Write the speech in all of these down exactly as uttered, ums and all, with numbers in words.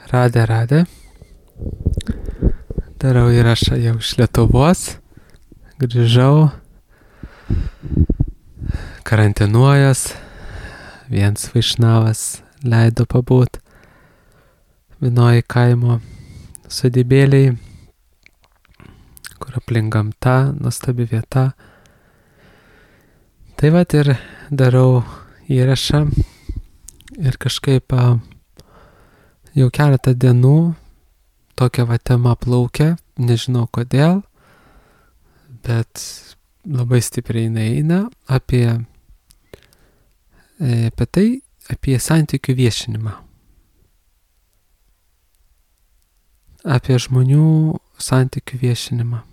Radė, radė. Darau įrašą jau iš Lietuvos. Grįžau. Karantinuojas. Viens Vaišnavas leido pabūt. Vienoj kaimo sodybėliai, kur aplink gamta, nuostabi vieta. Tai vat ir darau įrašą ir kažkaip jau keletą dienų tokia va tema plaukia, nežinau kodėl, bet labai stipriai eina apie, apie tai, apie santykių viešinimą. Apie žmonių santykių viešinimą.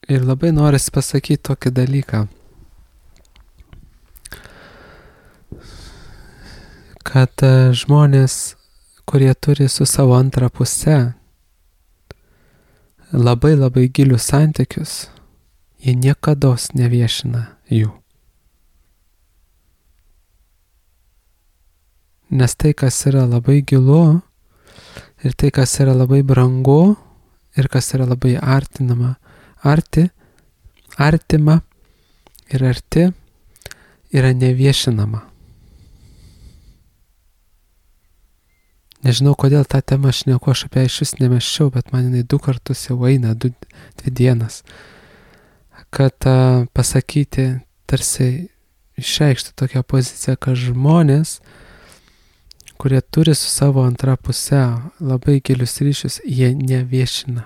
Ir labai norisi pasakyti tokį dalyką, kad žmonės, kurie turi su savo antrą pusę labai labai gilius santykius, jie niekados neviešina jų. Nes tai, kas yra labai gilu, ir tai, kas yra labai brangu, ir kas yra labai artinama, arti, artima ir arti, yra neviešinama. Nežinau, kodėl tą temą aš nieko aš apie iš vis nemesčiau, bet man jinai du kartus jau eina, du, dvi dienas, kad uh, pasakyti, tarsi išreikšti tokią poziciją, kad žmonės, kurie turi su savo antra puse labai gilius ryšius, jie neviešina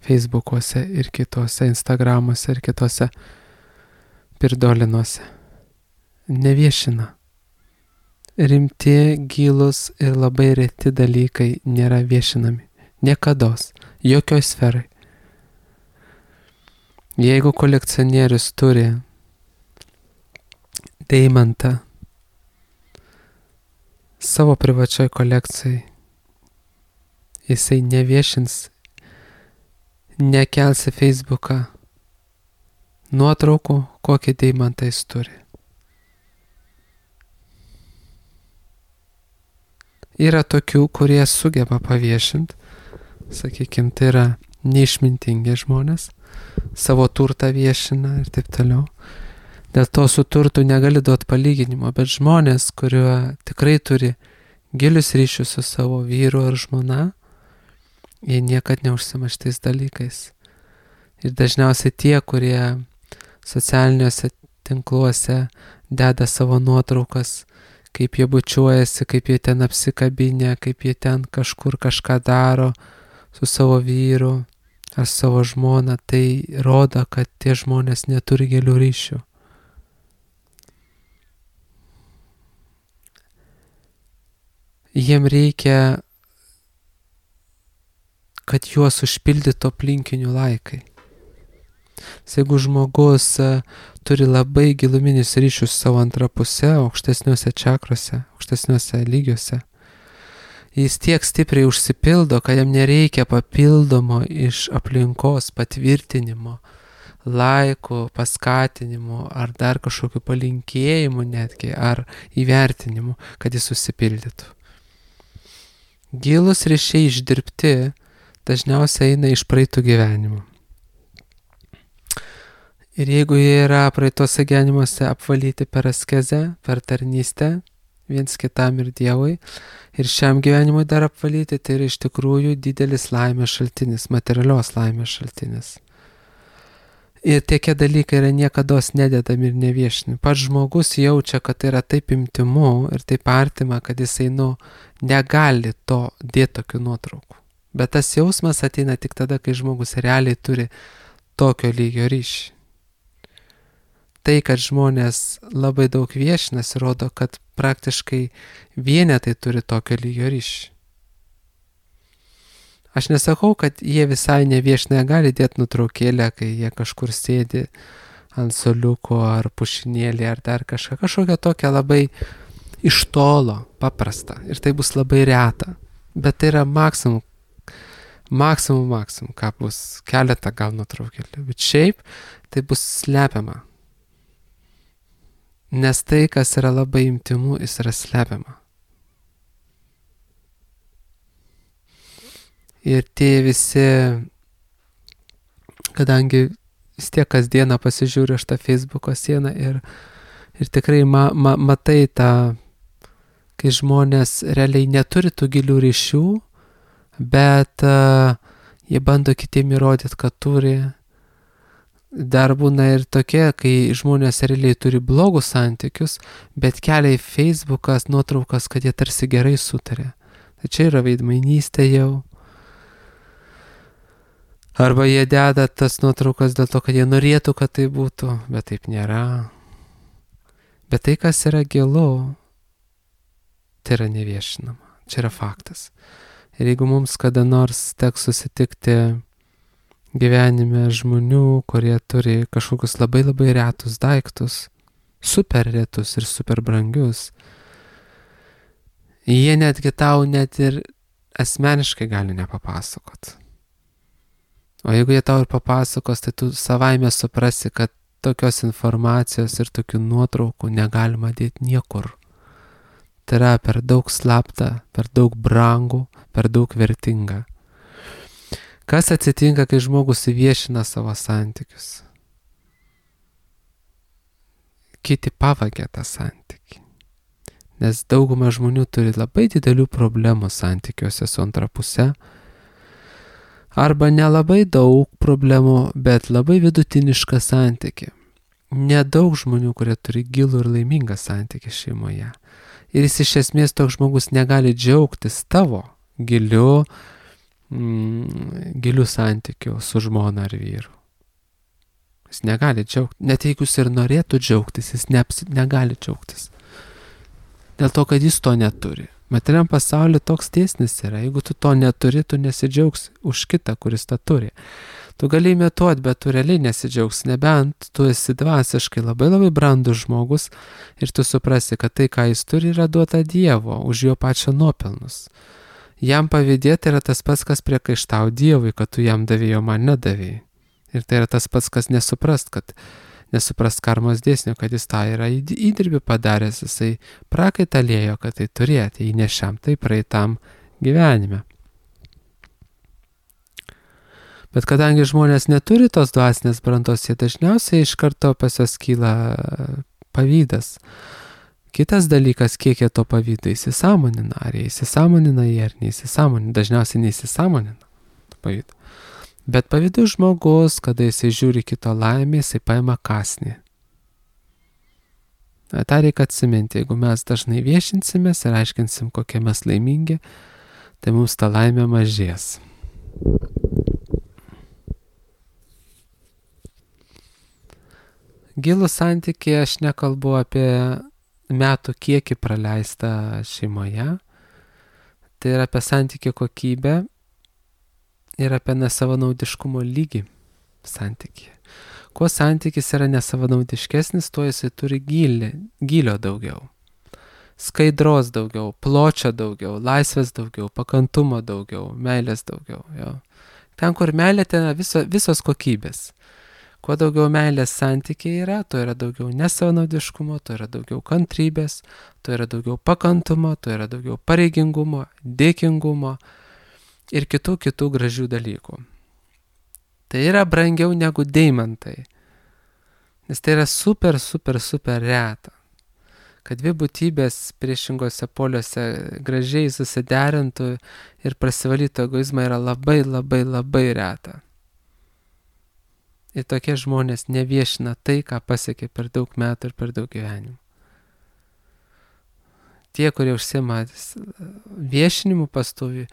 Facebookuose ir kitose, Instagramuose ir kitose pirdolinuose. Neviešina. Rimti, gilus ir labai reti dalykai nėra viešinami. Niekados. Jokioj sferai. Jeigu kolekcionierius turi deimantą savo privačioj kolekcijai, jisai neviešins, nekels į Facebooką nuotraukų, kokį deimantą jis turi. Yra tokių, kurie sugeba paviešinti, sakykime, tai yra neišmintingi žmonės, savo turtą viešina ir taip toliau. Dėl to su turtu negali duoti palyginimo, bet žmonės, kurie tikrai turi gilius ryšius su savo vyru ar žmona, jie niekad neužsima šitais dalykais. Ir dažniausiai tie, kurie socialiniuose tinkluose deda savo nuotraukas, kaip jie bučiuojasi, kaip jie ten apsikabinę, kaip jie ten kažkur kažką daro su savo vyru ar savo žmona, tai rodo, kad tie žmonės neturi gilių ryšių. Jiem reikia, kad juos užpildytų aplinkinių laikai. Jeigu žmogus turi labai giluminius ryšius savo antrą pusę, aukštesniuose čakrose, aukštesniuose lygiuose, jis tiek stipriai užsipildo, kad jam nereikia papildomo iš aplinkos patvirtinimo, laikų, paskatinimo ar dar kažkokių palinkėjimų netgi, ar įvertinimų, kad jis susipildytų. Gilus ryšiai išdirbti dažniausiai eina iš praeitų gyvenimų. Ir jeigu jie yra praeitose gyvenimuose apvalyti per askezę, per tarnystę, viens kitam ir Dievui, ir šiam gyvenimui dar apvalyti, tai yra iš tikrųjų didelis laimės šaltinis, materialios laimės šaltinis. Ir tie dalykai yra niekados nededami ir neviešinami. Pats žmogus jaučia, kad tai yra taip intimu ir taip artima, kad jisai, nu, negali to dėti tokių nuotraukų. Bet tas jausmas ateina tik tada, kai žmogus realiai turi tokio lygio ryšį. Tai, kad žmonės labai daug viešinasi, rodo, kad praktiškai vienetai turi tokio lygio ryšį. Aš nesakau, kad jie visai neviešina, gali dėti nutraukėlę, kai jie kažkur sėdi ant suoliuko ar pušinėlį ar dar kažką, kažkokią tokią labai iš tolo, paprastą. Ir tai bus labai reta. Bet tai yra maksimum, maksimum, maksimum, ką bus keletą gal nutraukėlių. Bet šiaip tai bus slepiama. Nes tai, kas yra labai intimu, jis yra slepiama. Ir tie visi, kadangi vis tiek kasdieną pasižiūriu aš tą Facebooko sieną ir, ir tikrai ma, ma, matai tą, kai žmonės realiai neturi tų gilių ryšių, bet uh, jie bando kitiem įrodyti, kad turi. Dar būna ir tokie, kai žmonės realiai turi blogus santykius, bet kelia į Facebookas nuotraukas, kad jie tarsi gerai sutarė. Tai čia yra veidmainystė jau. Arba jie deda tas nuotraukas dėl to, kad jie norėtų, kad tai būtų, bet taip nėra. Bet tai, kas yra gilu, tai yra neviešinama. Čia yra faktas. Ir jeigu mums kada nors teks susitikti gyvenime žmonių, kurie turi kažkokius labai labai retus daiktus, super retus ir super brangius, jie netgi tau net ir asmeniškai gali nepapasakot. O jeigu jie tau ir papasakos, tai tu savaime suprasi, kad tokios informacijos ir tokių nuotraukų negalima dėti niekur. Tai yra per daug slapta, per daug brangu, per daug vertinga. Kas atsitinka, kai žmogus įviešina savo santykius? Kiti pavagia tą santykį. Nes dauguma žmonių turi labai didelių problemų santykiuose su antra puse. Arba nelabai daug problemų, bet labai vidutinišką santykį. Nedaug žmonių, kurie turi gilų ir laimingą santykį šeimoje. Ir jis iš esmės toks žmogus negali džiaugtis tavo giliu, mm, giliu santykiu su žmona ar vyru. Jis negali džiaugtis. Net jeigu jis ir norėtų džiaugtis, jis neapsi, negali džiaugtis. Dėl to, kad jis to neturi. Materiam pasaulyje toks dėsnis yra. Jeigu tu to neturi, tu nesidžiaugsi už kitą, kuris tą turi. Tu gali imituoti, bet tu realiai nesidžiaugsi. Nebent tu esi dvasiškai labai labai brandus žmogus ir tu suprasi, kad tai, ką jis turi, yra duota Dievo už jo pačio nuopelnus. Jam pavydėti yra tas pats, kas priekaištau Dievui, kad tu jam davėjai, o man nedavėjai. Ir tai yra tas pats, kas nesuprast, kad nesuprast karmos dėsnio, kad jis tą yra įdirbį padaręs, jisai prakaitalėjo, kad tai turėti, įnešiam tai praeitam gyvenime. Bet kadangi žmonės neturi tos dvasinės brandos, jie dažniausiai iš karto pas juos kyla pavydas. Kitas dalykas, kiek jie to pavydo įsisąmonina, ar jie įsisąmonina jie ar neįsisąmonina, dažniausiai neįsisąmonina pavydo. Bet pavydus žmogus, kada jisai žiūri kito laimę, jisai paima kąsnį. Ta reikia atsiminti, jeigu mes dažnai viešinsimės ir aiškinsim, kokie mes laimingi, tai mums ta laimė mažės. Gilų santykį aš nekalbu apie metų kiekį praleistą šeimoje, tai yra apie santykį kokybę, ir apie nesavanaudiškumo lygį santykį. Kuo santykis yra nesavanaudiškesnis, tuo jisai turi gilį, gilio daugiau. Skaidros daugiau, pločio daugiau, laisvės daugiau, pakantumo daugiau, meilės daugiau. Jo. Ten, kur meilė, ten viso, visos kokybės. Kuo daugiau meilės santykiai yra, tuo yra daugiau nesavanaudiškumo, tuo yra daugiau kantrybės, tuo yra daugiau pakantumo, tuo yra daugiau pareigingumo, dėkingumo ir kitų kitų gražių dalykų. Tai yra brangiau negu deimantai. Nes tai yra super, super, super reta. Kad dvi būtybės priešingose poliuose gražiai susiderintų ir prasivalytų egoizmą yra labai, labai, labai reta. Ir tokie žmonės neviešina tai, ką pasiekė per daug metų ir per daug gyvenimų. Tie, kurie užsiima viešinimu pastovi,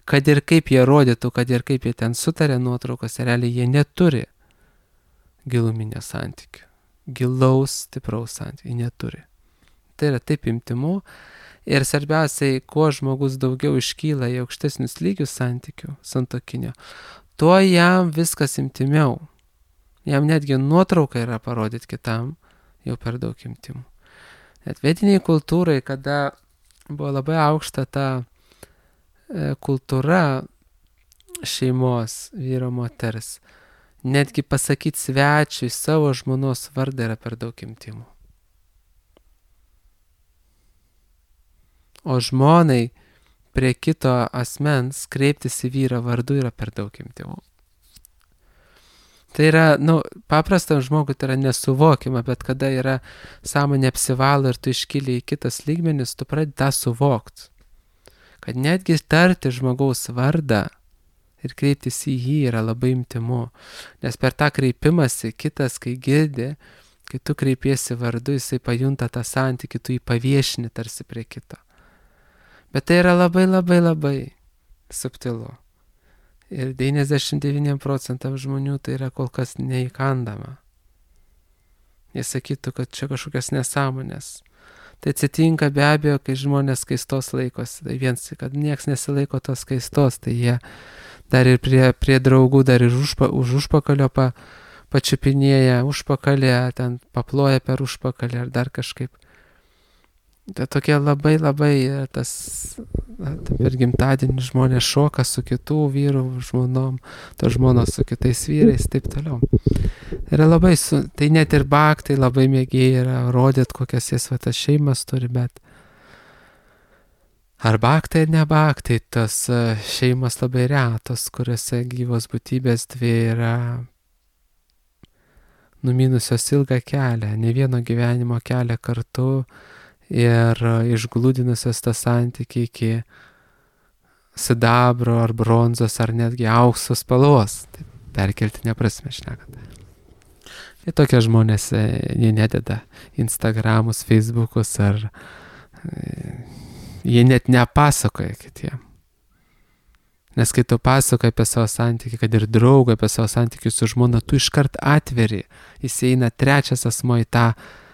kad ir kaip jie rodytų, kad ir kaip jie ten sutarė nuotraukose, realiai jie neturi giluminio santykių. Gilaus, stipraus santykių neturi. Tai yra taip intimu ir svarbiausiai, kuo žmogus daugiau iškyla į aukštesnius lygius santykių santuokinio, tuo jam viskas intimiau. Jam netgi nuotrauka yra parodyti kitam jau per daug intimų. Net vietiniai kultūrai, kada buvo labai aukšta ta e, kultūra šeimos vyro moters, Netgi pasakyti svečiui savo žmonos vardą yra per daug intymu. O žmonai prie kito asmens kreiptis į vyrą vardu yra per daug intymu. Tai yra, nu, paprastam žmogui tai yra nesuvokiama, bet kada yra sąmonė apsivalo ir tu iškyli į kitas lygmenis, tu pradedi tą suvokti. Kad netgi tarti žmogaus vardą ir kreiptis į jį yra labai intymu. Nes per tą kreipimąsi kitas, kai girdi, kai tu kreipiesi vardu, jisai pajunta tą santykį, tu jį paviešini tarsi prie kito. Bet tai yra labai labai labai subtilu. Ir devyniasdešimt devyni procentai žmonių tai yra kol kas neįkandama. Jie sakytų, kad čia kažkokios nesąmonės. Tai atsitinka be abejo, kai žmonės skaistos laikosi. Tai viens, kad nieks nesilaiko tos skaistos, tai jie dar ir prie, prie draugų, dar ir užpa, už užpakalio pa, pačiupinėja, užpakalė, ten paploja per užpakalį ar dar kažkaip. Tai tokie labai labai tas, per gimtadienį žmonės šoka su kitų vyrų žmonom, to žmonos su kitais vyrais, taip toliau. Yra labai, su, tai net ir baktai labai mėgiai yra rodyti, kokias jas va tas šeimas turi, bet ar baktai ar ne baktai, tos šeimas labai retos, kuriuose gyvos būtybės dvi yra numinusios ilgą kelią, ne vieno gyvenimo kelią kartu ir išglūdinusios tą santykį iki sidabro ar bronzos ar netgi aukso spalvos, taip, perkeltinė prasme šnekant. Ir tokie žmonės, jie nededa Instagramus, Facebookus ar jie net nepasakoja kitiem. Nes kai tu pasakoji apie savo santykį, kad ir draugą apie savo santykį su žmona, tu iškart atveri, jis eina trečias asmuo į tą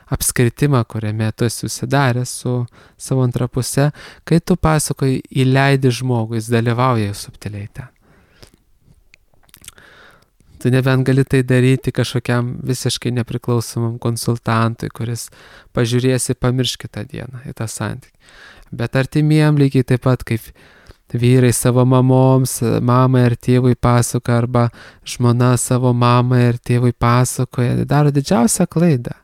apskritimą, kuriame tu esi susidaręs su savo antra puse. Kai tu pasakoji, įleidi žmogų, jis dalyvauja subtiliai ten. Tu nebent gali tai daryti kažkokiam visiškai nepriklausomam konsultantui, kuris pažiūrėsi, pamirš kitą dieną į tą santykį. Bet artimiem lygiai taip pat kaip vyrai savo mamoms, mamai ar tėvui pasakoja, arba žmona savo mamai ar tėvui pasakoja, daro didžiausią klaidą.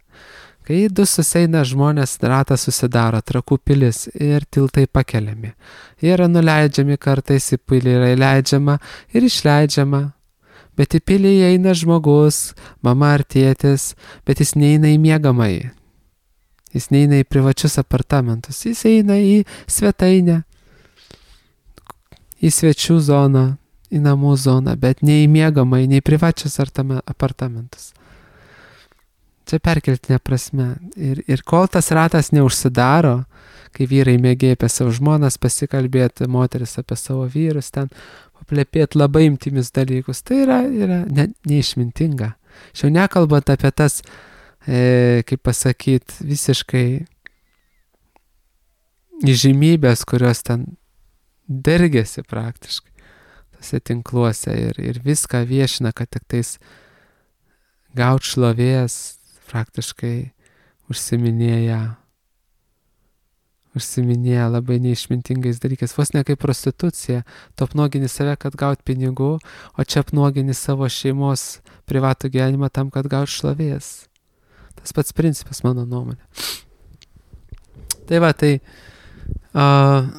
Kai du susieina žmonės, ratas susidaro, Trakų pilis ir tiltai pakeliami. Jie yra nuleidžiami, kartais į pilį yra įleidžiama ir išleidžiama. Bet į pilį įeina žmogus, mama ar tėtis, bet jis neina į miegamąjį. Jis neina į privačius apartamentus, jis eina į svetainę, į svečių zoną, į namų zoną, bet ne į miegamąjį, ne į privačius apartamentus. Čia perkeltinė prasme. Ir, ir kol tas ratas neužsidaro, kai vyrai mėgėja apie savo žmonas pasikalbėti, moteris apie savo vyrus, ten paplepėti labai intymius dalykus, tai yra, yra ne, neišmintinga. Šiau nekalbant apie tas, e, kaip pasakyti, visiškai įžymybės, kurios ten dergėsi praktiškai tose tinkluose ir, ir viską viešina, kad tik tais gaut šlovės, praktiškai užsiminėja, užsiminėja labai neišmintingais dalykais. Vos ne kaip prostitucija, tu apnuogini save, kad gaut pinigų, o čia apnuogini savo šeimos privatų gyvenimą tam, kad gaut šlovės. Tas pats principas, mano nuomonė. Tai va, tai uh,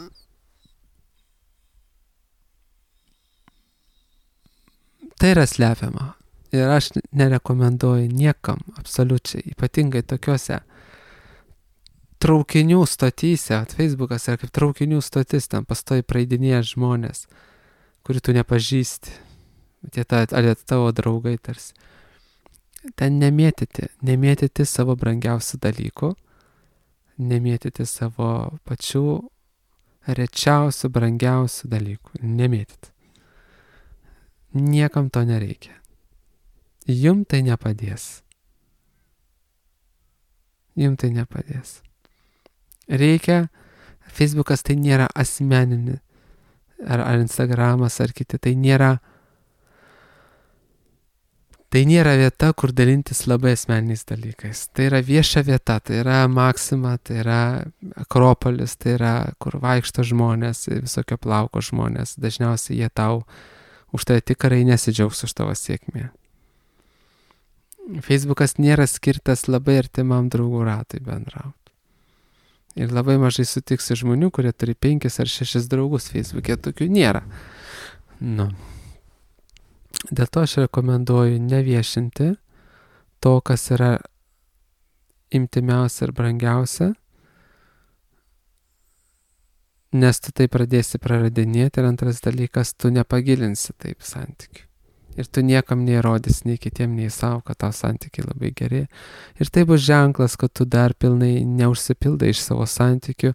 tai yra slepiama. Ir aš nerekomenduoju niekam, absoliučiai, ypatingai tokiuose traukinių stotyse, Facebookas yra kaip traukinių stotis, ten pastoji praeidinėja žmonės, kurių tu nepažįsti, tie ta, ar tavo draugai tarsi. Ten nemėtyti, nemėtyti savo brangiausių dalykų, nemėtyti savo pačių rečiausių, brangiausių dalykų, nemėtyti. Niekam to nereikia. Jum tai nepadės. Jum tai nepadės. Reikia, Facebookas tai nėra asmeninė, ar, ar Instagramas, ar kiti, tai nėra, tai nėra vieta, kur dalintis labai asmeniniais dalykais. Tai yra vieša vieta, tai yra Maksima, tai yra Akropolis, tai yra, kur vaikšto žmonės, visokio plauko žmonės. Dažniausiai jie tau už tai tikrai nesidžiaugs už tavo sėkmę. Facebookas nėra skirtas labai artimam draugų ratui bendrauti. Ir labai mažai sutiksi žmonių, kurie turi penkis ar šešis draugus Facebook'e, tokių nėra. Nu. Dėl to aš rekomenduoju neviešinti to, kas yra imtimiausia ir brangiausia, nes tu tai pradėsi praradinėti ir antras dalykas, tu nepagilinsi taip santykių. Ir tu niekam neįrodys, nei kitiem, nei savo, kad tau santykiai labai geri. Ir tai bus ženklas, kad tu dar pilnai neužsipildai iš savo santykių,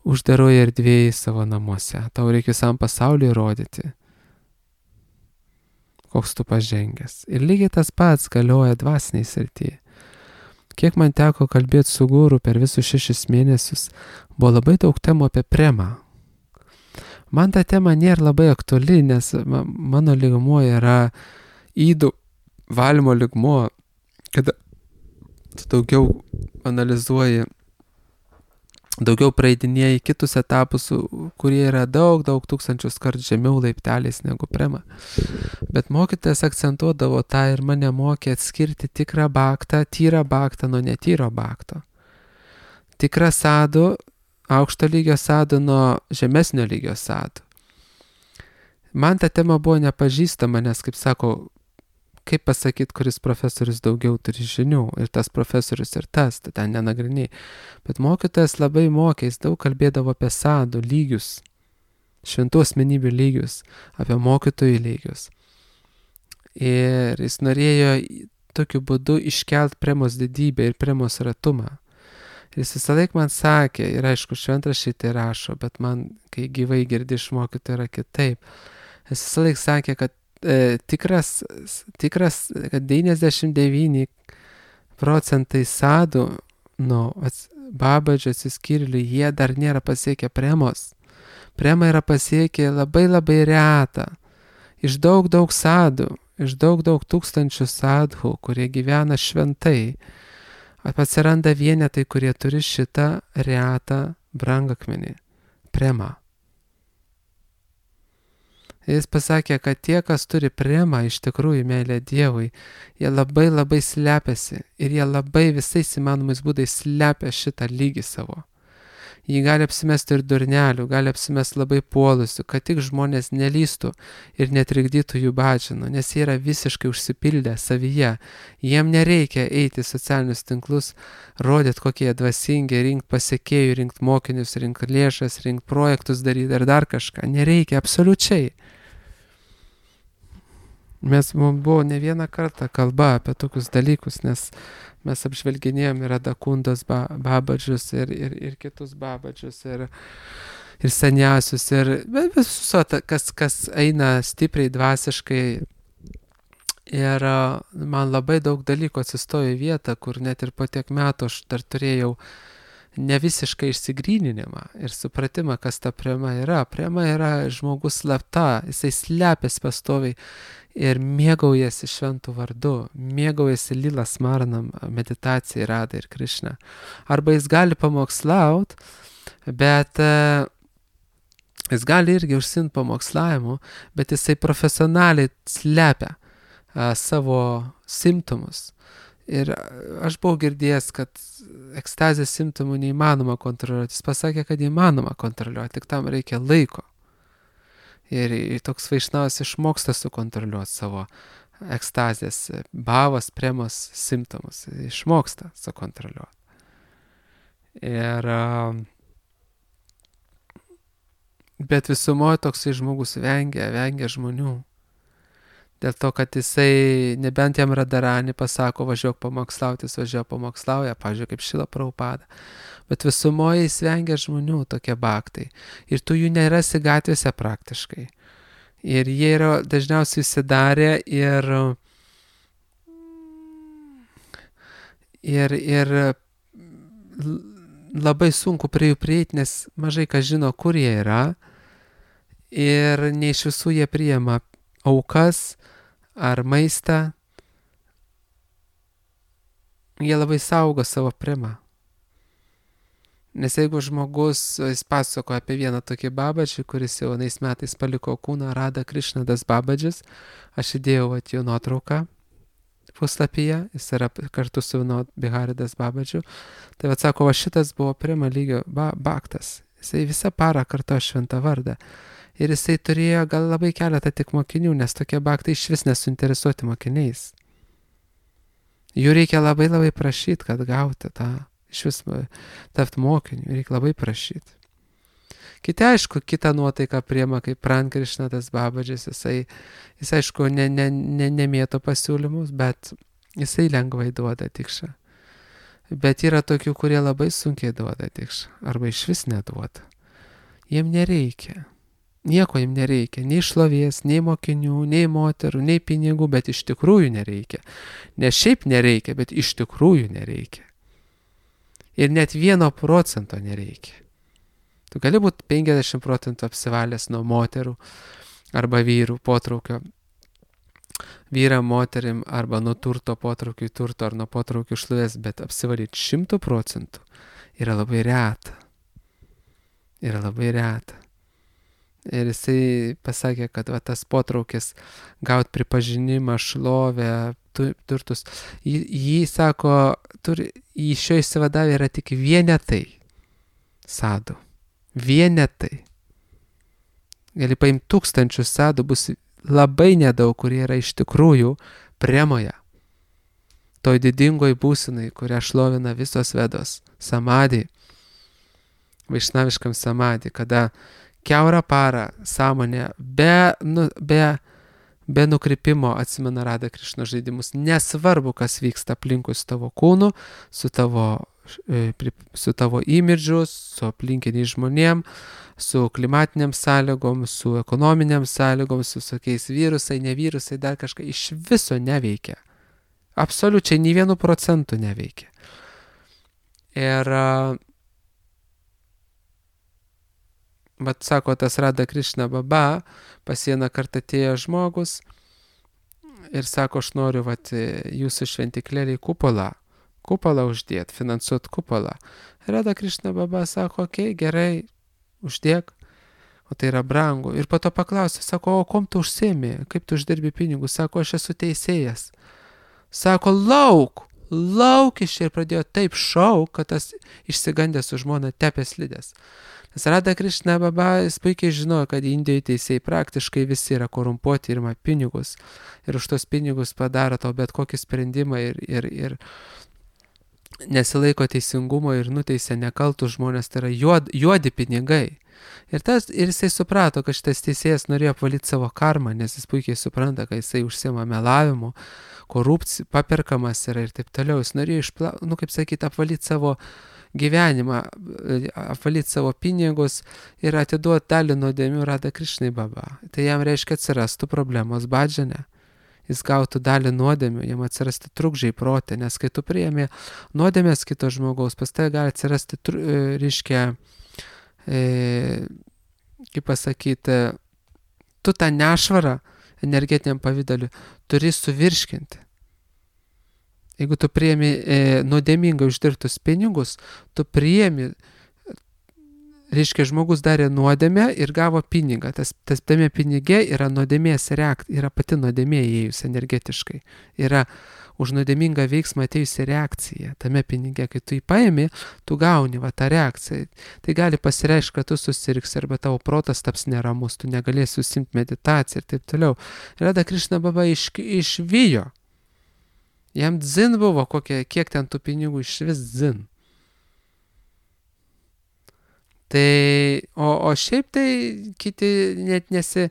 uždaroje erdvėje savo namuose. Tau reikia visam pasauliu įrodyti, koks tu pažengęs. Ir lygiai tas pats galioja dvasiniai srityje. Kiek man teko kalbėti su guru per visus šešis mėnesius, buvo labai daug temų apie premą. Man ta tema nėra labai aktuali, nes mano lygmuo yra ydų valymo lygmuo, kada tu daugiau analizuoji, daugiau praeidinėjai kitus etapus, kurie yra daug, daug tūkstančius kartų žemiau laipteliais negu prema. Bet mokytojas akcentuodavo tą ir mane mokė atskirti tikrą baktą, tyrą baktą nuo netyro bakto. Tikrą sadų, aukšto lygio sadų nuo žemesnio lygio sadų. Man ta tema buvo nepažįstama, nes, kaip sako, kaip pasakyti, kuris profesorius daugiau turi žinių, ir tas profesorius ir tas, tai ten nenagriniai. Bet mokytojas labai mokė, jis daug kalbėdavo apie sadų lygius, šventų asmenybių lygius, apie mokytojų lygius. Ir jis norėjo tokiu būdu iškelt premos didybę ir premos ratumą. Jis visą laiką man sakė, ir aišku, šventraščiai tai rašo, bet man, kai gyvai girdi iš mokytojų, yra kitaip. Jis visą laiką sakė, kad e, tikras, tikras, kad devyniasdešimt devyni procentai sadų nuo babadžio atsiskyrėlių, jie dar nėra pasiekę premos. Prema yra pasiekę labai labai retą. Iš daug daug sadų, iš daug daug tūkstančių sadhų, kurie gyvena šventai, atsiranda vienetai, kurie turi šitą retą brangakmenį, premą. Jis pasakė, kad tie, kas turi premą, iš tikrųjų meilę Dievui, jie labai labai slepiasi ir jie labai visais įmanomais būdais slepia šitą lygį savo. Jį gali apsimesti ir durnelių, gali apsimesti labai puolusių, kad tik žmonės nelystų ir netrikdytų jų badžino, nes jie yra visiškai užsipildę savyje. Jiem nereikia eiti į socialinius tinklus, rodyti, kokie jie dvasingi, rinkti pasiekėjų, rinkti mokinius, rinkti lėšas, rinkti projektus daryti ar dar kažką. Nereikia, absoliučiai. Mes, mums buvo ne vieną kartą kalba apie tokius dalykus, nes mes apžvelginėjom ir Adakundos ba, babadžius ir, ir, ir kitus babadžius ir, ir seniausius ir visus, kas, kas eina stipriai dvasiškai. Ir man labai daug dalykų atsistojo į vietą, kur net ir po tiek metų aš dar turėjau ne visiškai išsigryninimą ir supratimą, kas ta prema yra. Prema yra žmogus slapta, jisai slepiasi pastoviai ir mėgaujasi šventų vardu, mėgaujasi Lila Smarnam, meditacijai, Radai ir Krišna. Arba jis gali pamokslaut, bet uh, jis gali irgi užsiimti pamokslavimu, bet jisai profesionaliai slepia uh, savo simptomus. Ir aš buvau girdėjęs, kad ekstazės simptomų neįmanoma kontroliuoti. Jis pasakė, kad įmanoma kontroliuoti, tik tam reikia laiko. Ir toks vaišnavas išmoksta sukontroliuoti savo ekstazės, bavos, premos simptomus. Išmoksta sukontroliuoti. Ir bet visumoje toksai žmogus vengia, vengia žmonių. Dėl to, kad jisai, nebent jam Radarani pasako, važiuok pamokslauti, jis važiuoja pamokslauja, pavyzdžiui, kaip Šila Prabhupada. Bet visumoje jis vengia žmonių tokie baktai. Ir tu jų nerasi gatvėse praktiškai. Ir jie yra dažniausiai įsidarę ir, ir, ir labai sunku prie jų prieiti, nes mažai kas žino, kur jie yra. Ir ne iš visų jie priima aukas ar maistą. Jie labai saugo savo premą. Nes jeigu žmogus, jis pasakoja apie vieną tokį babadžį, kuris jau anais metais paliko kūną, Rada Krišnadas babadžis, aš įdėjau at jo nuotrauką puslapyje, jis yra kartu su Vinod Biharidas Babadžiu. Tai vat sako, va šitas buvo prima lygio ba, baktas. Jisai visą parą kartojo šventą vardą. Ir jisai turėjo gal labai keletą tik mokinių, nes tokie baktai iš vis nesuinteresuoti mokiniais. Jų reikia labai labai prašyti, kad gauti tą, iš vis tapti mokiniu, reikia labai prašyti. Kiti, aišku, kitą nuotaiką priema kaip Pran Krišnadas Babadžis, jisai, jis aišku, ne, ne, ne, nemėto pasiūlymus, bet jisai lengvai duoda tikšą. Bet yra tokių, kurie labai sunkiai duoda tikšą, arba iš vis neduoda. Jiem nereikia. Nieko jiem nereikia, nei šlovės, nei mokinių, nei moterų, nei pinigų, bet iš tikrųjų nereikia. Ne šiaip nereikia, bet iš tikrųjų nereikia. Ir net vieno procento nereikia. Tu gali būti penkiasdešimt procentų apsivalęs nuo moterų arba vyrų potraukio, vyram, moterim, arba nuo turto potraukių turto ar nuo potraukių šlovės, bet apsivalyti šimtų procentų yra labai reta. Yra labai reta. Ir jisai pasakė, kad va, tas potraukis gauti pripažinimą, šlovę, turtus, jį, jį sako, turi, jį šio įsivadavę yra tik vienetai sadų. Vienetai. Gali paimti tūkstančius sadų, bus labai nedaug, kurie yra iš tikrųjų premoje. Toj didingoj būsenai, kurią šlovina visos vedos. Samadhi. Vaišnaviškam samadhi, kada kiaurą parą sąmonė be, nu, be, be nukrypimo atsimena Radha Krišna žaidimus. Nesvarbu, kas vyksta aplinkui su tavo kūnu, su tavo su tavo imidžu, su aplinkiniais žmonėm, su klimatiniam sąlygom, su ekonominiam sąlygom, su tokiais virusai, ne virusai, dar kažką iš viso neveikia. Absoliučiai nei vienu procentu neveikia. Ir, vat sako, tas Radha Krišna Baba, pas vieną kartą atėjo žmogus ir sako, aš noriu, vat, jūsų šventiklėlį kupolą. Kupolą uždėt, finansuot kupolą. Radha Krišna Baba sako, okei, okay, gerai, uždėk, o tai yra brangu. Ir po to paklausė, sako, o kom tu užsiemi, kaip tu uždirbi pinigus? Sako, aš esu teisėjas. Sako, lauk, lauk iš ir pradėjo taip šauk, kad tas išsigandęs su žmona tepė slidės. Nes Radha Krišna Baba, jis puikiai žinojo, kad Indijoje teisėjai praktiškai visi yra korumpuoti ir ima pinigus. Ir už tos pinigus padaro tau bet kokį sprendimą ir, ir, ir nesilaiko teisingumo ir nuteisia nekaltus žmonės, tai yra juod, juodi pinigai. Ir, tas, ir jisai suprato, kad šitas teisėjas norėjo apvalyti savo karmą, nes jis puikiai supranta, kad jisai užsiima melavimu, korupcija, paperkamas yra ir taip toliau. Jis norėjo, išpla, nu, kaip sakyti, apvalyti savo gyvenimą, apvalyti savo pinigus ir atiduoti dalį nuodėmių Radha Krišnai Baba. Tai jam reiškia atsirastų problemos badžane. Jis gautų dalį nuodėmių, jam atsirasti trukdžiai protė, nes kai tu priėmė nuodėmės kito žmogaus, pas tai gali atsirasti, reiškia, e, kaip pasakyti, tu tą nešvarą energetiniam pavydaliu turi suvirškinti. Jeigu tu priėmė e, nuodėmingai uždirbtus pinigus, tu priėmė, reiškia, žmogus darė nuodėmę ir gavo pinigą. Tas, tas tame pinigė yra nuodėmės reakcija, yra pati nuodėmė įėjus energetiškai. Yra už nuodėmingą veiksmą atėjusi reakcija. Tame pinigė, kai tu jį paėmė, tu gauni va, tą reakciją. Tai gali pasireikšti, kad tu susirgsi arba tavo protas taps neramus, tu negalėsi užsiimti meditaciją ir taip toliau. Radha Krišna Baba iš, išvijo. Jam dzin buvo, kokie, kiek ten tų pinigų iš vis dzin. Tai, o, o šiaip tai kiti net nesi,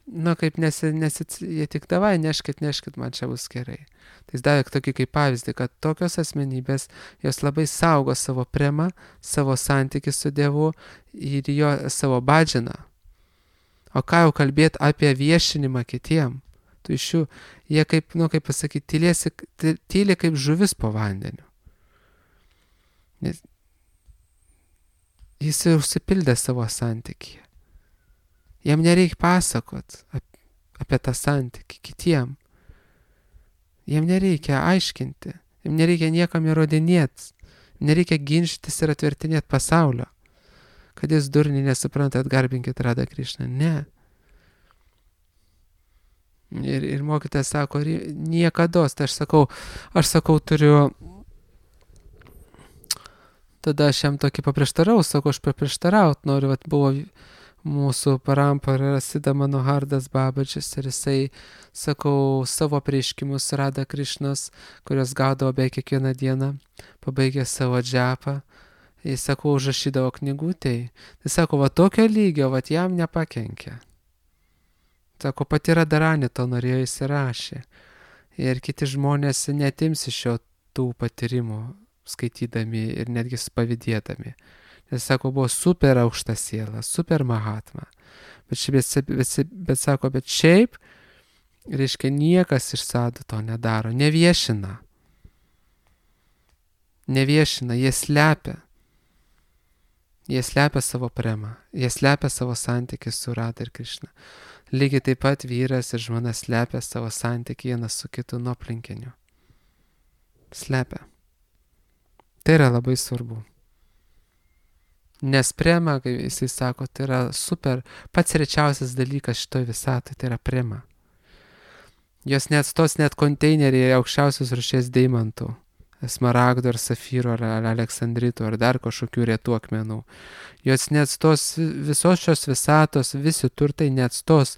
nu kaip nesi, nesi, jie tik davai, neškit, neškit, man čia bus gerai. Tai jis davė tokį kaip pavyzdį, kad tokios asmenybės, jos labai saugo savo premą, savo santykį su Dievu ir jo savo badžiną. O ką jau kalbėti apie viešinimą kitiem? Tu iš jų, jie kaip, nu kaip pasakyti, tylėsi, tyli kaip žuvis po vandeniu. Nes jis jau užsipildė savo santykį. Jam nereikia pasakot apie tą santykį kitiem. Jam nereikia aiškinti. Jam nereikia niekam įrodinėti. Nereikia ginčytis ir atvertinėti pasaulio. Kad jis durniai nesupranta, atgarbinkit Radha Krišną. Ne. Ir, ir mokytojas sako, niekados, tai aš sakau, aš sakau, turiu, tada aš jam tokį paprieštarau, sakau, aš paprieštaraut noriu, vat buvo mūsų parampara Sida Manohardas Babaģis ir jisai, sakau, savo prieškimus Rada Krišnos, kurios gaudavo beveik kiekvieną dieną, pabaigė savo džepą, jis, sakau, užrašydavo knygutėj, tai sako, va tokio lygio, va jam nepakenkė. Sako, pati Radharani to norėjo įsirašė. Ir kiti žmonės netims iš jo tų patyrimų, skaitydami ir netgi pavydėdami. Nes, sako, buvo super aukšta siela, super mahatma. Bet, šiaip, bet, bet, bet sako, bet šiaip, reiškia, niekas iš sadų to nedaro, neviešina. Neviešina, jie slepia. Jie slepia savo premą, jie slepia savo santykį su Rada ir Krišna. Lygiai taip pat vyras ir žmona slepia savo santykį vienas su kitu nuo aplinkinių. Slepia. Tai yra labai svarbu. Nes prema, kaip jisai sako, tai yra super, pats rečiausias dalykas šitoj visatoj, tai yra prema. Jos neatstos net konteineriai aukščiausios rūšies deimantų, smaragdų ar safyrų ar aleksandritų ar dar kažkokių retų akmenų. Jos neatstos visos šios visatos, visi turtai neatstos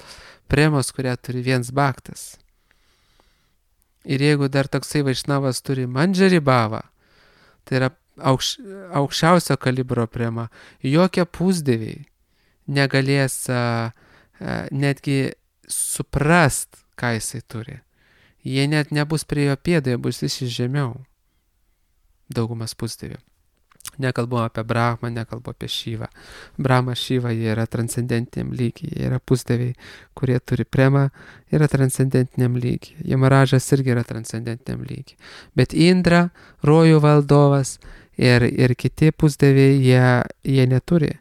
premos, kurią turi viens bhaktas. Ir jeigu dar toksai vaišnavas turi mandžari bhavą, tai yra aukš, aukščiausio kalibro prema, jokie pusdieviai negalės a, a, netgi suprast, ką jisai turi. Jie net nebus prie jo pėdų, jie bus iš žemiau. Daugumas pusdievių. Nekalbu apie Brahmą, nekalbu apie Šyvą. Brahma, Šyva, jie yra transcendentiniam lygiai, jie yra pusdieviai, kurie turi premą, yra transcendentiniam lygiai. Jamaražas irgi yra transcendentiniam lygiai. Bet Indra, rojų valdovas ir, ir kiti pusdieviai, jie, jie neturi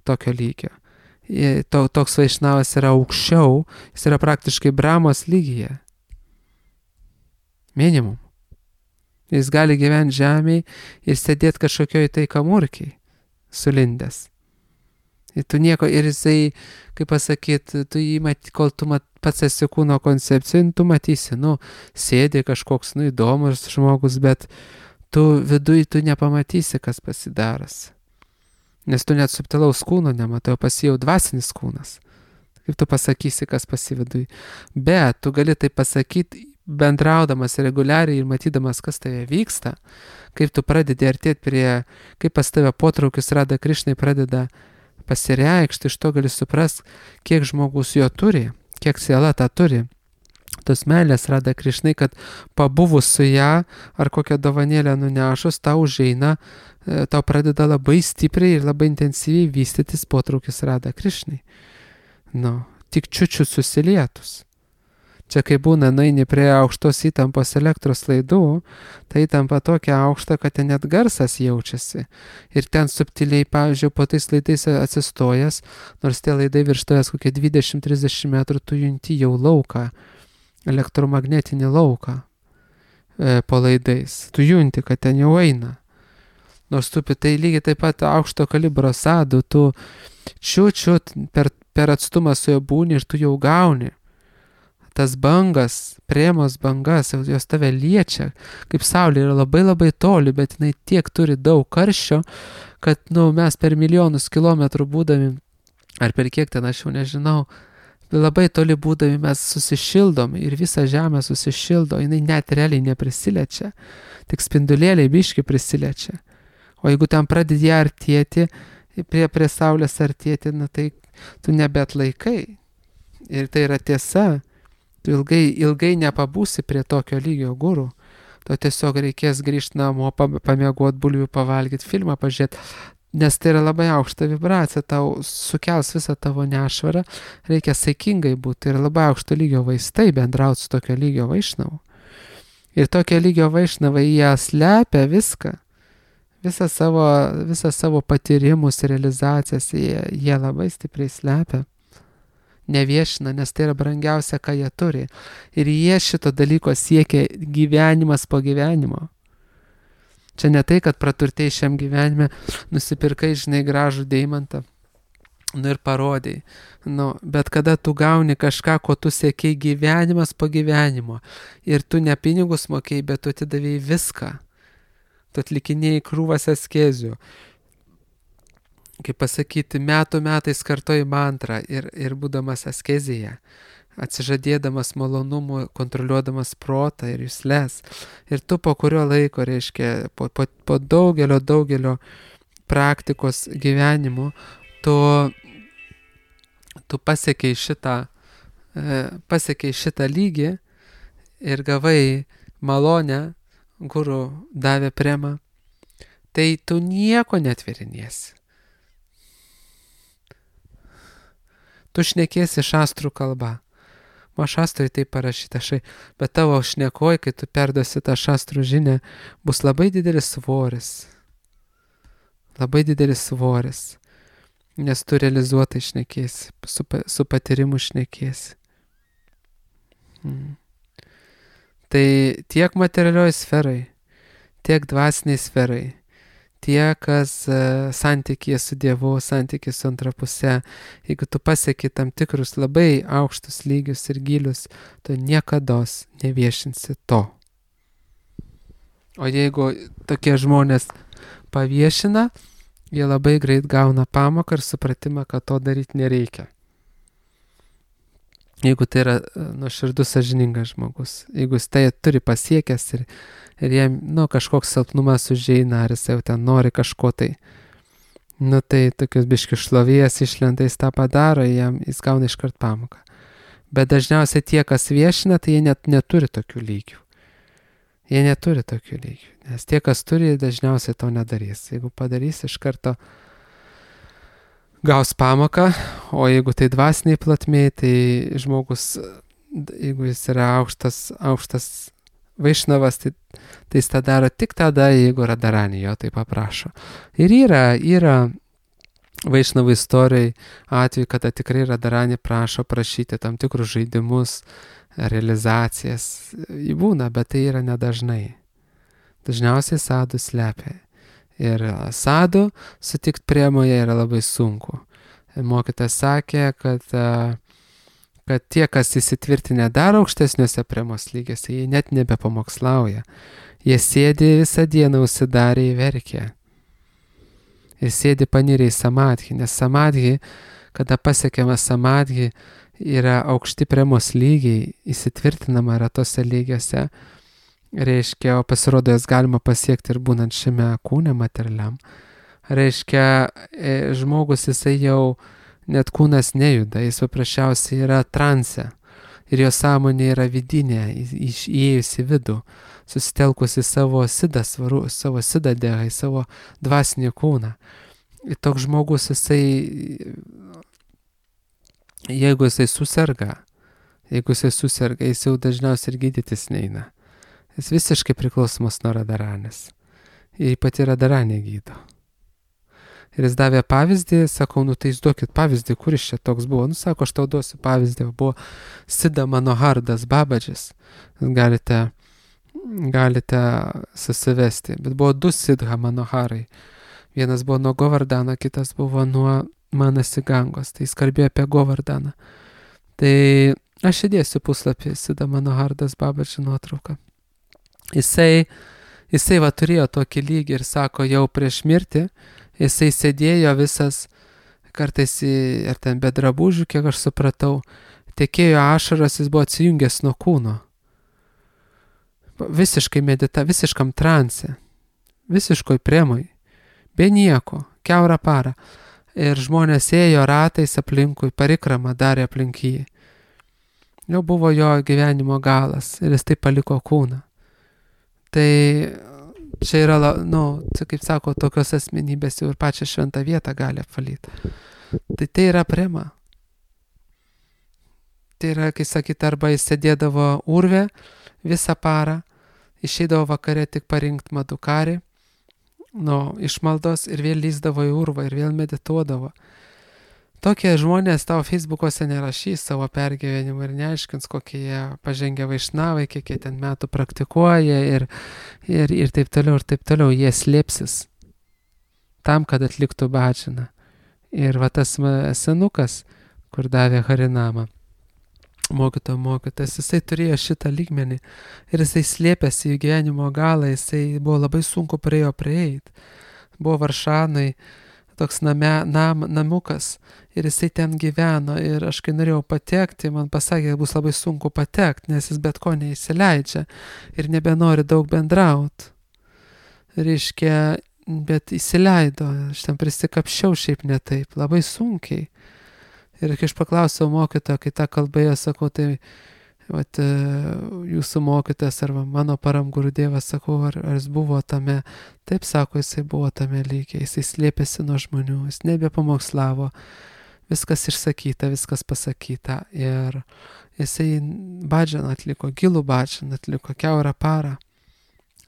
tokio lygio. Jie, to, toks vaišnavas yra aukščiau, jis yra praktiškai Brahmos lygyje. Minimum. Jis gali gyventi žemėje ir sėdėti kažkokioj tai kamurkiai, sulindęs. Ir tu nieko, ir jisai, kaip pasakyti, tu jį mat, kol tu mat, pats esi kūno koncepcijų, tu matysi, nu, sėdi kažkoks, nu, įdomus žmogus, bet tu viduj tu nepamatysi, kas pasidaras. Nes tu net subtilaus kūno nematai, o pasijau dvasinis kūnas. Kaip tu pasakysi, kas pasividuj. Bet tu gali tai pasakyti, bendraudamas reguliariai ir matydamas, kas tave vyksta, kaip tu pradedi artėti prie, kaip pas tave potraukis Rada Krišnai pradeda pasireikšti, iš to gali suprast, kiek žmogus jo turi, kiek siela tą turi. Tos meilės Rada Krišnai, kad pabuvus su ją ar kokią dovanėlę nunešus, tau užeina, tau pradeda labai stipriai ir labai intensyviai vystytis potraukis Rada Krišnai. Nu, tik čiučiu susilietus. Čia kai būna, nueini prie aukštos įtampos elektros laidų, tai įtampa tokia aukšta, kad ten net garsas jaučiasi. Ir ten subtiliai, pavyzdžiui, po tais laidais atsistojęs, nors tie laidai virš tavęs kokie dvidešimt trisdešimt metrų, tu junti jau lauką, elektromagnetinį lauką e, po laidais. Tu junti, kad ten jau eina. Nors tu tai lygiai taip pat aukšto kalibro sadų, tu čiut-čiut per, per atstumą su jo būni ir tu jau gauni. Tas bangas, premos bangas, jos tave liečia, kaip saulė yra labai labai toli, bet jinai tiek turi daug karščio, kad, nu, mes per milijonus kilometrų būdami, ar per kiek ten aš jau nežinau, labai toli būdami mes susišildom ir visa žemė susišildo, jinai net realiai neprisiliečia, tik spindulėliai biški prisiliečia. O jeigu ten pradedi artėti, prie, prie saulės artėti, na tai tu nebeatlaikai. Ir tai yra tiesa. Tu ilgai, ilgai nepabūsi prie tokio lygio gurų. Tu tiesiog reikės grįžti namo, pamiegot, bulvių pavalgyti, filmą pažiūrėti, nes tai yra labai aukšta vibracija, tau sukels visą tavo nešvarą, reikia saikingai būti, tai yra labai aukšto lygio vaistai bendrauti su tokio lygio vaišnavu. Ir tokio lygio vaišnavai jie slepia viską, visą savo, visą savo patyrimus, realizacijas, jie, jie labai stipriai slepia. Neviešina, nes tai yra brangiausia, ką jie turi. Ir jie šito dalyko siekia gyvenimas po gyvenimo. Čia ne tai, kad praturtėjai šiam gyvenime, nusipirkai, žinai, gražų deimantą Nu ir parodai. Nu, bet kada tu gauni kažką, ko tu siekiai gyvenimas po gyvenimo. Ir tu ne pinigus mokėjai, bet tu atidavėjai viską. Tu atlikinėjai krūvas askezių. Kaip pasakyti, metų metais kartoji mantrą ir, ir būdamas askezėje, atsižadėdamas malonumų, kontroliuodamas protą ir jusles. Ir tu po kurio laiko, reiškia, po, po, po daugelio, daugelio praktikos gyvenimų, tu, tu pasiekiai šitą, pasiekiai šitą lygį ir gavai malonę, guru davė premą, tai tu nieko netvėriniesi. Tu šnekėsi šastrų kalba. O šastrui tai parašyta šai, bet tavo šnekoj, kai tu perduosi tą šastrų žinią, bus labai didelis svoris. Labai didelis svoris. Nes tu realizuotai šnekėsi, su, su patyrimu šnekėsi. Hmm. Tai tiek materialioj sferai, tiek dvasiniai sferai, tie, kas uh, santykėje su Dievu, santykėje su antra puse, jeigu tu pasieki tam tikrus labai aukštus lygius ir gilius, tu niekados neviešinsi to. O jeigu tokie žmonės paviešina, jie labai greit gauna pamoką ir supratimą, kad to daryti nereikia. Jeigu tai yra nuoširdus sąžiningas žmogus, jeigu jis tai turi pasiekęs ir, ir jam nu, kažkoks silpnumas užeina, ar jis jau ten nori kažko tai, nu tai tokius biškius šlovės išlenda, jis tą padaro, jam, jis gauna iškart pamoką. Bet dažniausiai tie, kas viešina, tai jie net neturi tokių lygių. Jie neturi tokių lygių, nes tie, kas turi, dažniausiai to nedarys. Jeigu padarys, iš karto gaus pamoką, o jeigu tai dvasiniai platmėj, tai žmogus, jeigu jis yra aukštas, aukštas vaišnavas, tai, tai jis tą daro tik tada, jeigu Radharani jo tai paprašo. Ir yra, yra vaišnavų istorijai atveju, kada tikrai Radharani prašo prašyti tam tikrus žaidimus, realizacijas. Jį būna, bet tai yra nedažnai. Dažniausiai sadų slepia. Ir sadų sutikti priemoje yra labai sunku. Mokytas sakė, kad, kad tie, kas įsitvirtinę dar aukštesniuose priemos lygiuose, jie net nebepamokslauja. Jie sėdi visą dieną užsidarę į verkę. Jie sėdi panirę į samadhį, nes samadhį, kada pasiekiama samadhį, yra aukšti priemos lygiai, įsitvirtinama yra tose lygiuose. Reiškia, o pasirodo, jas galima pasiekti ir būnant šiame kūne materialiam. Reiškia, žmogus jisai jau net kūnas nejuda, jis paprasčiausiai yra transe. Ir jo sąmonė yra vidinė, įėjusi vidų, susitelkusi savo sidą, svaru, savo sidą dėhą, į savo dvasinį kūną. Ir toks žmogus jisai, jeigu jisai susirga, jeigu jisai susirga, jis jau dažniausiai ir gydytis neina. Jis visiškai priklausomas nuo Radharanės. Ir pati Radharanė gydo. Ir jis davė pavyzdį, sakau, nu tai jūs duokit pavyzdį, kuris čia toks buvo. Nu sako, aš tau duosiu pavyzdį, buvo Siddha Manohardas Babadžis. Galite, galite susivesti. Bet buvo du Siddha Manoharai. Vienas buvo nuo Govardhano, kitas buvo nuo Manasigangos. Tai jis kalbėjo apie Govardhaną. Tai aš įdėsiu puslapį Siddha Manohardas Babadžio nuotrauką. Jisai, jisai va turėjo tokį lygį ir sako, jau prieš mirtį, jisai sėdėjo visas, kartais ir ten be drabužių, kiek aš supratau, tekėjo ašaras, jis buvo atsijungęs nuo kūno. Visiškai medita, visiškam transe, visiškoj priemoj, be nieko, kiaurą parą. Ir žmonės ėjo ratais aplinkui, parikramą darė aplink jį. Jau buvo jo gyvenimo galas ir jis taip paliko kūną. Tai čia yra, nu, kaip sako, tokios asmenybės jau ir pačią šventą vietą gali apvalyti. Tai tai yra prema. Tai yra, kai sakyt, arba jis sėdėdavo urve visą parą, išeidavo vakare tik parinkti madukarį, nu, išmaldos ir vėl lyzdavo į urvą ir vėl medituodavo. Tokie žmonės tavo Facebook'ose nerašys savo pergyvenimą ir neaiškins, kokie jie pažengę vaišnavai, kiek jie ten metų praktikuoja ir, ir, ir taip toliau, ir taip toliau. Jie slėpsis tam, kad atliktų bhajaną. Ir va tas ma- senukas, kur davė Harinamą, mokytojo mokytas, jisai turėjo šitą lygmenį ir jisai slėpėsi į gyvenimo galą, jisai buvo labai sunku prie jo prieiti. Buvo Varšanai, toks name, nam, namukas ir jisai ten gyveno ir aš kai norėjau patekti, man pasakė, kad bus labai sunku patekti, nes jis bet ko neįsileidžia ir nebenori daug bendrauti. Reiškia, bet įsileido, aš ten prisikapščiau šiaip ne taip, labai sunkiai. Ir kai aš paklausiau mokytojo, kai tą kalbėjo, sakau, tai vat, jūsų mokytojas arba mano param Gurudevas, sakau, ar, ar jis buvo tame, taip sako, jisai buvo tame lygiai, jisai slėpėsi nuo žmonių, jis nebepamokslavo, viskas išsakyta, viskas pasakyta ir jisai badžianą atliko, gilų badžianą atliko, kiaurą parą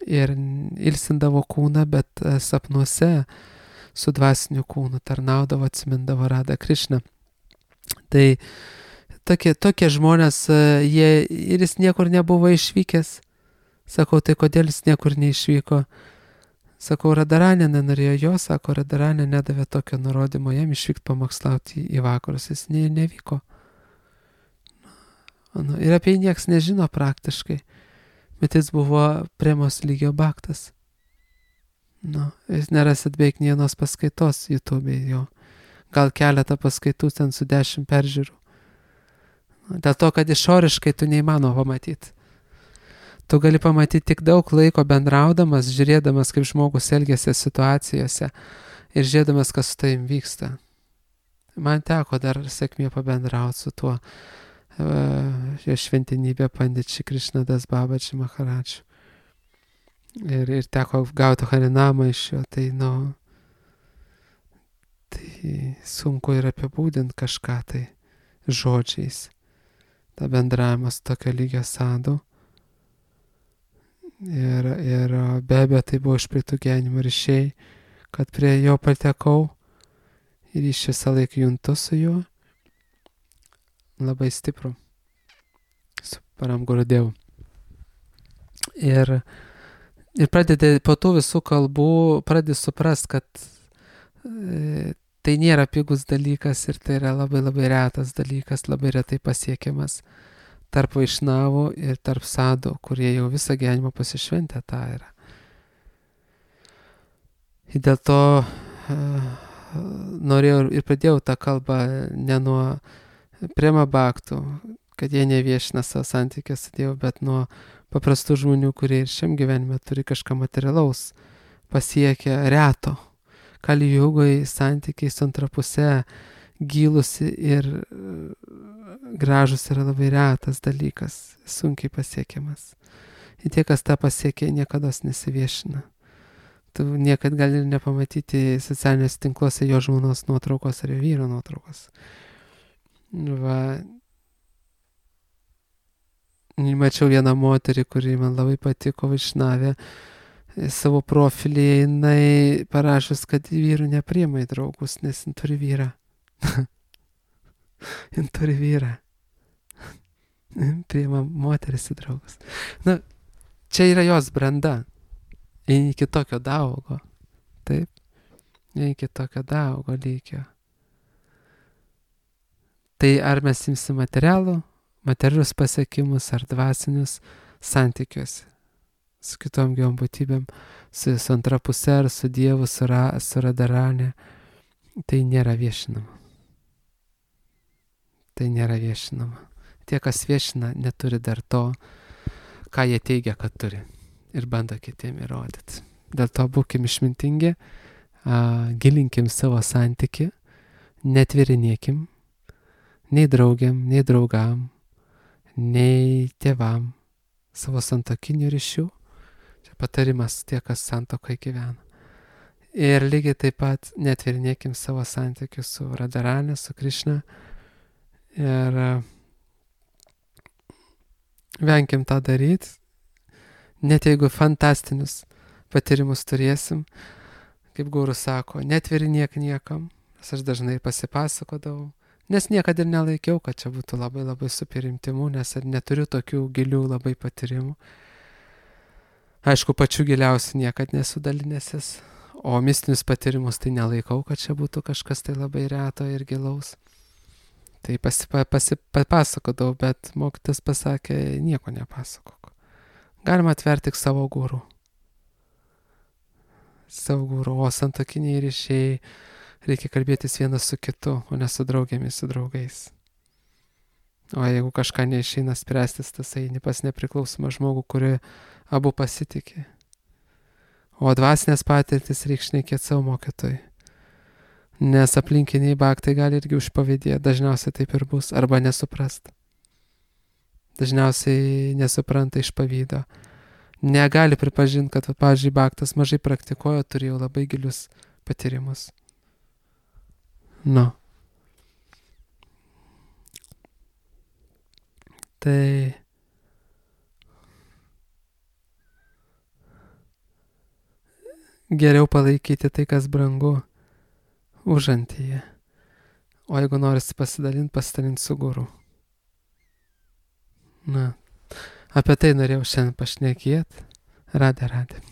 ir ilsindavo kūną, bet sapnuose su dvasiniu kūnu tarnaudavo, atsimindavo Radą Krišną. Tai Tokie, tokie žmonės, jie, ir jis niekur nebuvo išvykęs. Sakau, tai kodėl jis niekur neišvyko? Sakau, Radaranė nenorėjo jo, sako, Radaranė nedavė tokio nurodymo jam išvykti pamokslauti į vakarus, jis ne, nevyko. Nu, ir apie jį nieks nežino praktiškai, bet jis buvo Premos lygio baktas. Nu, jūs nerasit beveik nienos paskaitos YouTube'e jo. Gal keletą paskaitų ten su dešimt peržiūrų. Dėl to, kad išoriškai tu neįmanoma pamatyti. Tu gali pamatyti tik daug laiko bendraudamas, žiūrėdamas, kaip žmogus elgiasi situacijose ir žiūrėdamas, kas su tavim vyksta. Man teko dar sėkmė pabendrauti su tuo uh, jo šventinybė Pandit Krišnadas Babaji Maharadžu. Ir, ir teko gauti Harinamą iš jo, tai nu, tai sunku ir apibūdinti kažką tai žodžiais. Ta bendravimas tokio lygio sadų. Ir, ir be abejo tai buvo iš praeitų gyvenimo ryšiai, kad prie jo patekau ir iš visą laiką juntu su juo. Labai stipru. Su param Gurudevu. Ir, ir pradedi po tų visų kalbų, pradedi suprast, kad e, tai nėra pigus dalykas ir tai yra labai labai retas dalykas, labai retai pasiekiamas tarp vaišnavų ir tarp sadų, kurie jau visą gyvenimą pasišventę tą yra. Ir dėl to uh, norėjau ir pradėjau tą kalbą ne nuo Prema baktų, kad jie neviešina savo santykį su Dievu, bet nuo paprastų žmonių, kurie ir šiam gyvenime turi kažką materialaus, pasiekia reto. Kali jugoje santykiai su antra puse gylusi ir gražus yra labai retas dalykas, sunkiai pasiekiamas. Ir tie, kas tą pasiekia, niekada nesiviešina. Tu niekad gali ir nepamatyti socialiniuose tinkluose jo žmonos nuotraukos ar jo vyro nuotraukos. Va. Mačiau vieną moterį, kuri man labai patiko, vaišnavė, savo profilį jinai parašus, kad vyrų nepriima į draugus, nes jin turi vyrą. Jin turi vyrą. Priima moteris į draugus. Na, čia yra jos branda. Jin iki tokio daugo. Taip. Jin iki tokio daugo lygio. Tai ar mes imsim materialų, materialius pasiekimus ar dvasinius santykiuose su kitom gyvom būtybėm, su, su antra puse ar su Dievu, su, ra, su Radaranė, tai nėra viešinama. Tai nėra viešinama. Tie, kas viešina, neturi dar to, ką jie teigia, kad turi. Ir bando kitiem įrodyti. Dėl to būkim išmintingi, a, gilinkim savo santykį, netvirinėkim, nei draugiam, nei draugam, nei tėvam, savo santokinių ryšių. Patarimas tie, kas santokai gyvena. Ir lygiai taip pat netvirinėkim savo santykių su Radaranė, su Krišna. Ir venkim tą daryti. Net jeigu fantastinius patyrimus turėsim, kaip guru sako, netvirinėk niekam. Nes aš dažnai pasipasakodavau. Nes niekada ir nelaikiau, kad čia būtų labai labai super intimu, nes neturiu tokių gilių labai patyrimų. Aišku, pačių giliausių niekad nesu dalinęsis, O mistinius patyrimus tai nelaikau, kad čia būtų kažkas tai labai reto ir gilaus. Tai pasipa, pasi, papasakodavau, bet mokytas pasakė, nieko nepasakok. Galima atverti tik savo gurų. Savo gurų, o santokiniai ryšiai reikia kalbėtis vienas su kitu, o ne su draugėmis, su draugais. O jeigu kažką neišeina spręstis, tas eini pas nepriklausomą žmogų, kuri abu pasitikė. O dvasinės patirtis reikia šnekėti savo mokytojui. Nes aplinkiniai baktai gali irgi užpavydėti, dažniausiai taip ir bus, arba nesuprast. Dažniausiai nesupranta iš pavydo. Negali pripažinti, kad, pavyzdžiui, baktas mažai praktikuoja, turėjo labai gilius patyrimus. Nu. Tai geriau palaikyti tai, kas brangu, užantyje. O jeigu norisi pasidalinti, pasidalinti su guru. Na, apie tai norėjau šiandien pašnekėti. Radė, radė.